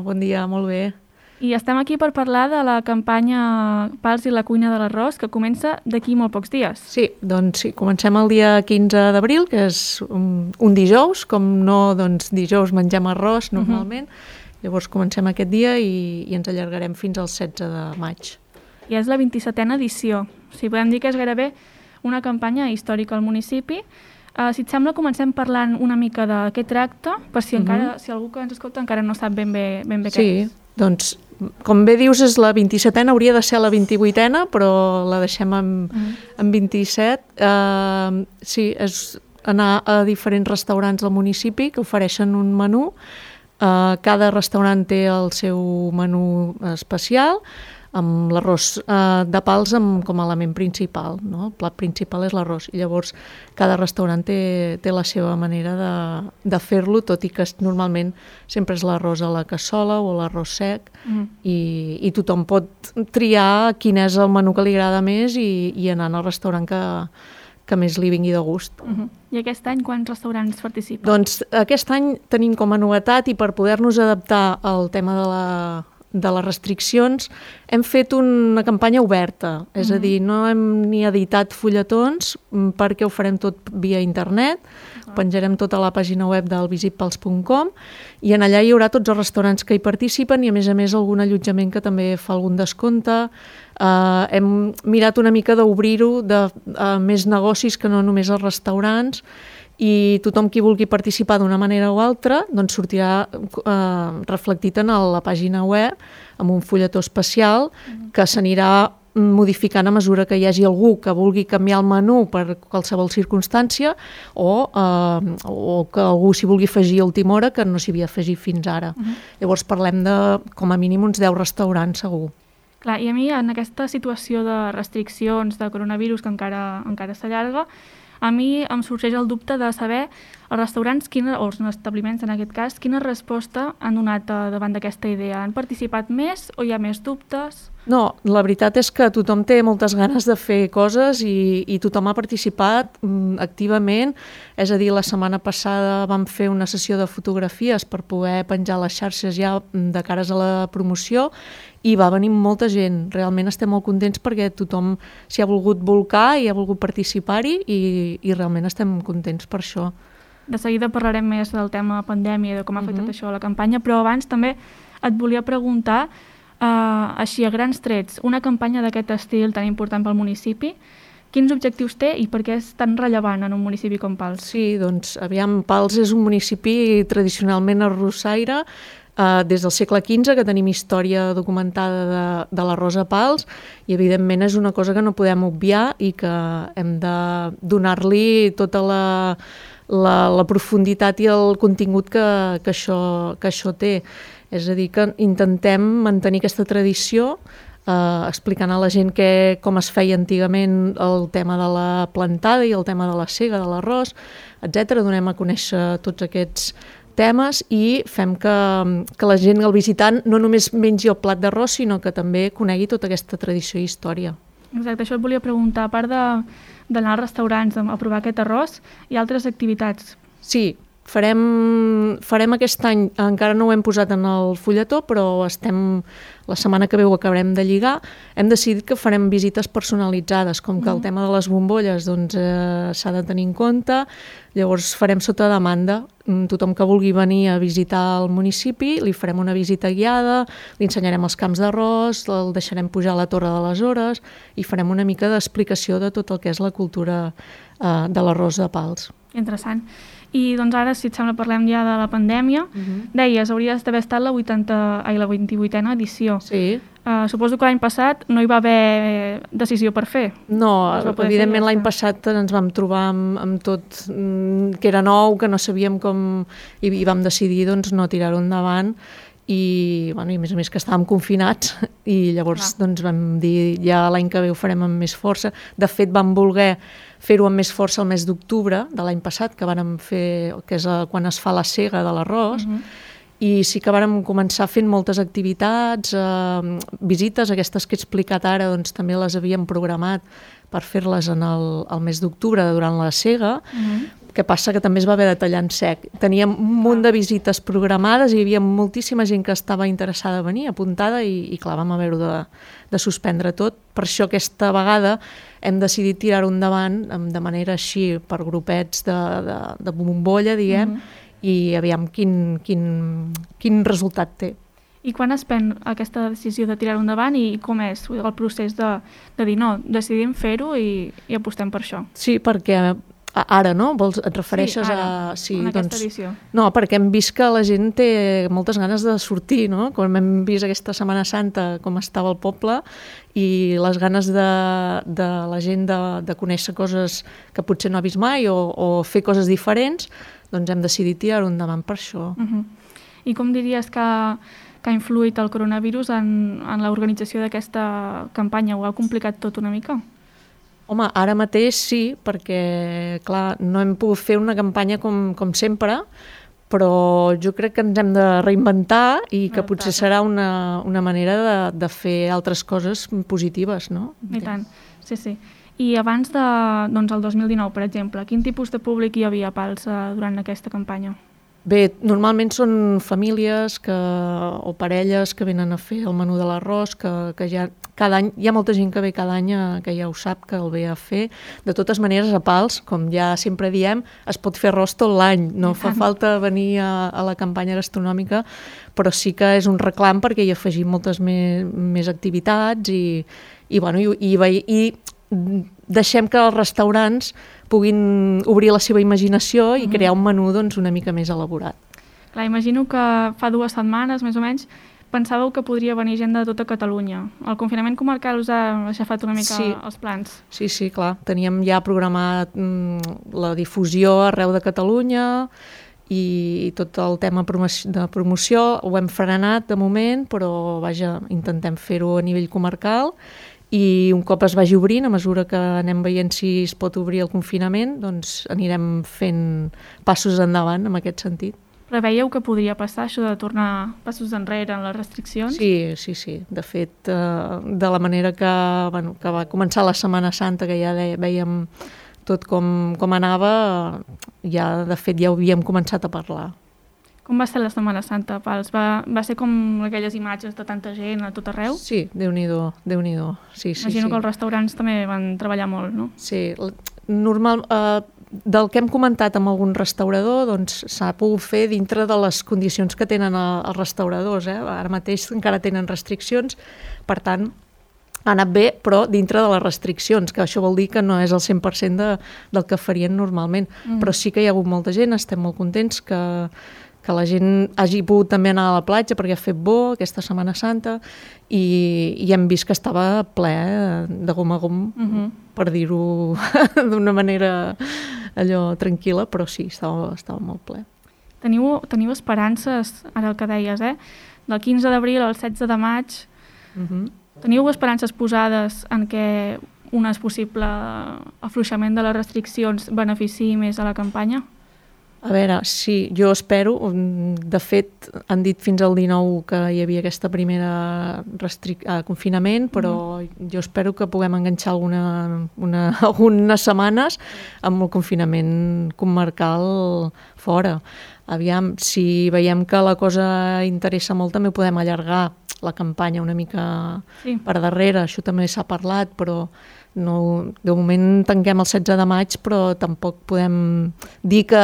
bon dia, molt bé. I estem aquí per parlar de la campanya Pals i la cuina de l'arròs, que comença d'aquí molt pocs dies. Sí, doncs sí, comencem el dia 15 d'abril, que és un dijous, com no, doncs dijous mengem arròs normalment, llavors comencem aquest dia i ens allargarem fins al 16 de maig. I és la 27a edició, o sigui, podem dir que és gairebé una campanya històrica al municipi. Si et sembla, comencem parlant una mica de què tracta, per si encara, si algú que ens escolta encara no sap ben bé què és. Sí, doncs, com bé dius, és la 27a, hauria de ser la 28a, però la deixem en 27. Sí, és anar a diferents restaurants del municipi que ofereixen un menú. Cada restaurant té el seu menú especial, amb l'arròs de pals com a element principal, no? El plat principal és l'arròs, i llavors cada restaurant té la seva manera de fer-lo, tot i que normalment sempre és l'arròs a la cassola o l'arròs sec, i tothom pot triar quin és el menú que li agrada més i anar al restaurant que més li vingui de gust. I aquest any quants restaurants participen? Doncs aquest any tenim com a novetat, i per poder-nos adaptar al tema de les restriccions, hem fet una campanya oberta, és a dir, no hem ni editat fulletons perquè ho farem tot via internet, penjarem tota la pàgina web del visitpals.com i en allà hi haurà tots els restaurants que hi participen i a més algun allotjament que també fa algun descompte. Hem mirat una mica d'obrir-ho a més negocis que no només els restaurants, i tothom qui vulgui participar d'una manera o altra doncs sortirà reflectit en la pàgina web amb un fulletó especial que s'anirà modificant a mesura que hi hagi algú que vulgui canviar el menú per qualsevol circumstància o que algú s'hi vulgui afegir a última hora que no s'hi havia afegit fins ara. Llavors parlem de com a mínim uns 10 restaurants segur. Clar, i a mi en aquesta situació de restriccions de coronavirus que encara s'allarga, a mi em sorgeix el dubte de saber els restaurants, o els establiments en aquest cas, quina resposta han donat davant d'aquesta idea. Han participat més o hi ha més dubtes? No, la veritat és que tothom té moltes ganes de fer coses i tothom ha participat activament. És a dir, la setmana passada vam fer una sessió de fotografies per poder penjar les xarxes ja de cares a la promoció i va venir molta gent. Realment estem molt contents perquè tothom s'hi ha volgut bolcar i ha volgut participar-hi i realment estem contents per això. De seguida parlarem més del tema pandèmia i de com ha afectat això a la campanya, però abans també et volia preguntar, així a grans trets, una campanya d'aquest estil tan important pel municipi, quins objectius té i per què és tan rellevant en un municipi com Pals? Sí, doncs, aviam, Pals és un municipi tradicionalment arrossaire, des del segle XV, que tenim història documentada de l'arròs a Pals, i evidentment és una cosa que no podem obviar i que hem de donar-li tota la profunditat i el contingut que això té. És a dir, que intentem mantenir aquesta tradició, explicant a la gent com es feia antigament el tema de la plantada i el tema de la sega, de l'arròs, etc. Donem a conèixer tots aquests temes i fem que la gent, el visitant, no només mengi el plat d'arròs, sinó que també conegui tota aquesta tradició i història. Exacte, això et volia preguntar. A part d'anar als restaurants a provar aquest arròs, hi ha altres activitats? Sí, farem aquest any, encara no ho hem posat en el fulletó, però la setmana que ve ho acabarem de lligar. Hem decidit que farem visites personalitzades, com que el tema de les bombolles s'ha de tenir en compte. Llavors farem sota demanda. Tothom que vulgui venir a visitar el municipi, li farem una visita guiada, li ensenyarem els camps d'arròs, el deixarem pujar a la Torre de les Hores i farem una mica d'explicació de tot el que és la cultura de l'arròs de Pals. Interessant. I doncs ara, si et sembla, parlem ja de la pandèmia. Deies, hauries d'haver estat la 28a edició. Sí. Suposo que l'any passat no hi va haver decisió per fer. No, evidentment l'any passat ens vam trobar amb tot que era nou, que no sabíem com, i vam decidir doncs, no tirar-ho endavant. I a més que estàvem confinats i llavors vam dir ja l'any que ve ho farem amb més força. De fet vam voler fer-ho amb més força el mes d'octubre de l'any passat, que vàrem fer, que és quan es fa la sega de l'arròs, i sí que vàrem començar fent moltes activitats, visites, aquestes que he explicat ara, doncs també les havíem programat per fer-les en el mes d'octubre durant la sega, que passa que també es va haver de tallar en sec. Teníem un munt de visites programades i hi havia moltíssima gent que estava interessada a venir, apuntada, i clar, vam haver-ho de suspendre tot. Per això aquesta vegada hem decidit tirar-ho endavant de manera així, per grupets de bombolla, diguem, i aviam quin resultat té. I quan es pren aquesta decisió de tirar-ho endavant i com és el procés de dir no, decidim fer-ho i apostem per això? Sí, perquè ara, no? Et refereixes en aquesta edició. No, perquè hem vist que la gent té moltes ganes de sortir, no? Com hem vist aquesta Setmana Santa, com estava el poble, i les ganes de la gent de conèixer coses que potser no ha vist mai o fer coses diferents, doncs hem decidit tirar-ho endavant per això. I com diries que ha influït el coronavirus en l'organització d'aquesta campanya? Ho ha complicat tot una mica? Home, ara mateix sí, perquè, clar, no hem pogut fer una campanya com sempre, però jo crec que ens hem de reinventar i que potser serà una manera de fer altres coses positives, no? I tant, sí. I abans del 2019, per exemple, quin tipus de públic hi havia a Pals durant aquesta campanya? Bé, normalment són famílies o parelles que venen a fer el menú de l'arròs, que ja cada any, hi ha molta gent que ve cada any que ja ho sap, que el ve a fer. De totes maneres, a Pals, com ja sempre diem, es pot fer arròs tot l'any, no fa falta venir a la campanya gastronòmica, però sí que és un reclam perquè hi afegim moltes més activitats i deixem que els restaurants puguin obrir la seva imaginació i crear un menú una mica més elaborat. Clar, imagino que fa 2 setmanes, més o menys, pensàveu que podria venir gent de tota Catalunya. El confinament comarcal us ha aixafat una mica els plans? Sí, clar. Teníem ja programat la difusió arreu de Catalunya i tot el tema de promoció ho hem frenat de moment, però vaja, intentem fer-ho a nivell comarcal. I un cop es vagi obrint, a mesura que anem veient si es pot obrir el confinament, doncs anirem fent passos endavant en aquest sentit. Preveieu que podria passar això de tornar passos enrere en les restriccions? Sí. De fet, de la manera que va començar la Setmana Santa, que ja veiem tot com anava, de fet ja ho havíem començat a parlar. Com va ser la Setmana Santa, Pals? Va ser com aquelles imatges de tanta gent a tot arreu? Sí, Déu-n'hi-do. Sí. Imagino que els restaurants també van treballar molt, no? Sí, del que hem comentat amb algun restaurador, doncs s'ha pogut fer dintre de les condicions que tenen els restauradors. Ara mateix encara tenen restriccions, per tant, ha anat bé, però dintre de les restriccions, que això vol dir que no és el 100% del que farien normalment. Però sí que hi ha hagut molta gent, estem molt contents que la gent hagi pogut també anar a la platja perquè ha fet bo aquesta Setmana Santa i hem vist que estava ple de gom a gom, per dir-ho d'una manera allò tranquil·la, però sí, estava molt ple. Teniu esperances, ara el que deies, del 15 d'abril al 16 de maig, teniu esperances posades en què un possible afluixament de les restriccions beneficiï més a la campanya? A veure, sí, jo espero. De fet, han dit fins al 19 que hi havia aquesta primera confinament, però jo espero que puguem enganxar algunes setmanes amb el confinament comarcal fora. Aviam, si veiem que la cosa interessa molt, també podem allargar la campanya una mica per darrere. Això també s'ha parlat, però no, de moment tanquem el 16 de maig, però tampoc podem dir que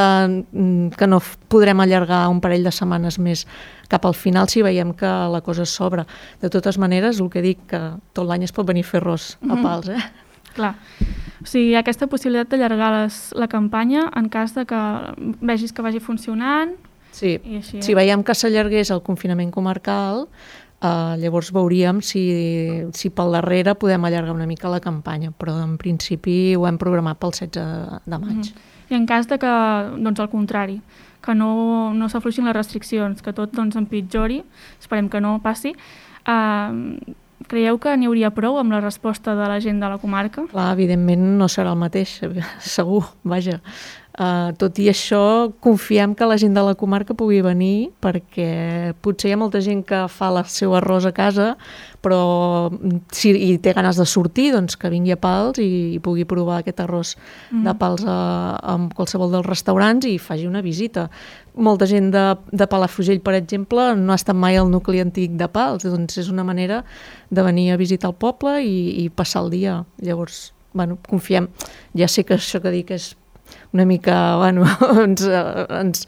no podrem allargar un parell de setmanes més cap al final si veiem que la cosa s'obre. De totes maneres, el que dic, que tot l'any es pot venir a fer arròs a Pals. Clar. O sigui, aquesta possibilitat d'allargar la campanya en cas de que vegis que vagi funcionant. Sí, si veiem que s'allargués el confinament comarcal, llavors veuríem si pel darrere podem allargar una mica la campanya, però en principi ho hem programat pel 16 de maig. I en cas de que, doncs al contrari, que no s'afluixin les restriccions, que tot empitjori, esperem que no passi, creieu que n'hi hauria prou amb la resposta de la gent de la comarca? Clar, evidentment no serà el mateix, segur, vaja. Tot i això, confiem que la gent de la comarca pugui venir, perquè potser hi ha molta gent que fa el seu arròs a casa, però si té ganes de sortir, doncs que vingui a Pals i pugui provar aquest arròs de Pals en qualsevol dels restaurants i faci una visita. Molta gent de Palafrugell, per exemple, no ha estat mai al nucli antic de Pals, doncs és una manera de venir a visitar el poble i passar el dia. Llavors, bueno, confiem. Ja sé que això que dic és una mica, bueno, ens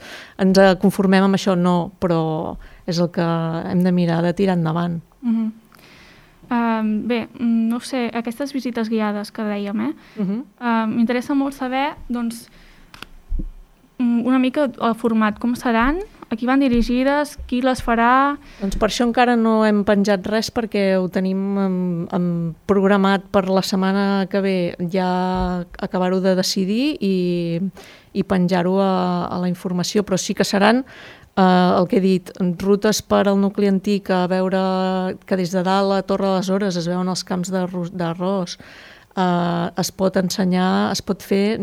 conformem amb això, no, però és el que hem de mirar de tirar endavant. Bé, no sé, aquestes visites guiades que dèiem, m'interessa molt saber, doncs, una mica el format, com seran, a qui van dirigides, qui les farà... Doncs per això encara no hem penjat res, perquè ho tenim programat per la setmana que ve ja acabar-ho de decidir i penjar-ho a la informació, però sí que seran el que he dit, rutes per al nucli antic, a veure que des de dalt a Torre de les Hores es veuen els camps d'arròs, es pot ensenyar, es pot fer...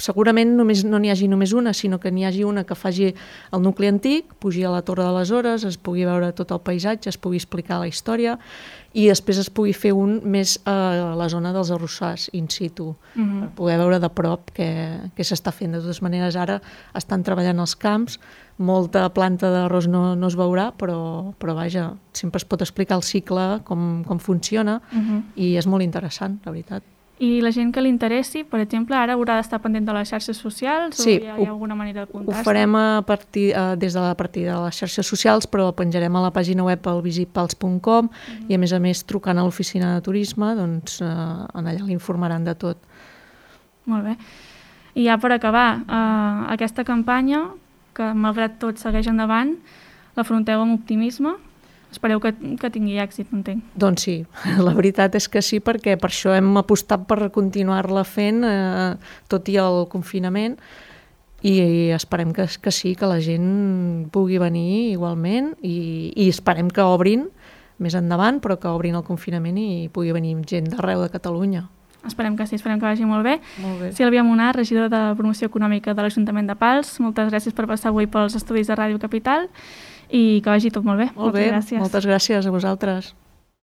Segurament no n'hi hagi només una, sinó que n'hi hagi una que faci el nucli antic, pugi a la Torre de les Hores, es pugui veure tot el paisatge, es pugui explicar la història i després es pugui fer un més a la zona dels arrossars in situ, per poder veure de prop què s'està fent. De totes maneres, ara estan treballant els camps, molta planta d'arròs no es veurà, però vaja, sempre es pot explicar el cicle, com funciona, i és molt interessant, la veritat. I la gent que li interessi, per exemple, ara haurà d'estar pendent de les xarxes socials o hi ha alguna manera de contactar? Ho farem des de la partida de les xarxes socials, però penjarem a la pàgina web al visitpals.com i a més trucant a l'oficina de turisme, doncs en allà l'informaran de tot. Molt bé. I ja per acabar, aquesta campanya, que malgrat tot segueix endavant, l'afronteu amb optimisme? Espereu que tingui èxit, entenc. Doncs sí, la veritat és que sí, perquè per això hem apostat per continuar-la fent, tot i el confinament, i esperem que sí, que la gent pugui venir igualment, i esperem que obrin més endavant, però que obrin el confinament i pugui venir gent d'arreu de Catalunya. Esperem que sí, esperem que vagi molt bé. Molt bé. Sílvia Munar, regidora de Promoció Econòmica de l'Ajuntament de Pals, moltes gràcies per passar avui pels estudis de Ràdio Capital i que vagi tot molt bé. Molt bé, moltes gràcies. Moltes gràcies a vosaltres.